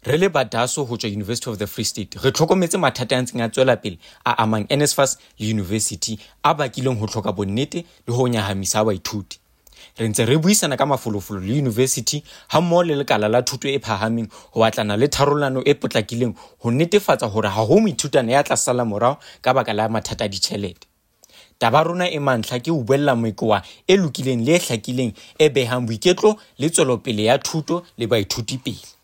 Re le ba DASO ho tswa University of the Free State, re tlhokometse mathata a ntseng a tswela pele a amang NSFAS le yunivesithi a bakileng ho hloka bonnete le ho nyahamisa ha baithuti. Re ntse re buisana ka mafolofolo le yunivesithi hammoho le lekala la thuto e phahameng ho batlana le tharollano e potlakileng ho netefatsa hore ha ho moithutana ya tla sala morao ka baka la mathata a ditjhelete. Taba rona e mantlha ke ho buella mekoa e lokileng le e hlakileng e behang boiketlo le tswelopele ya thuto le baithuti pele.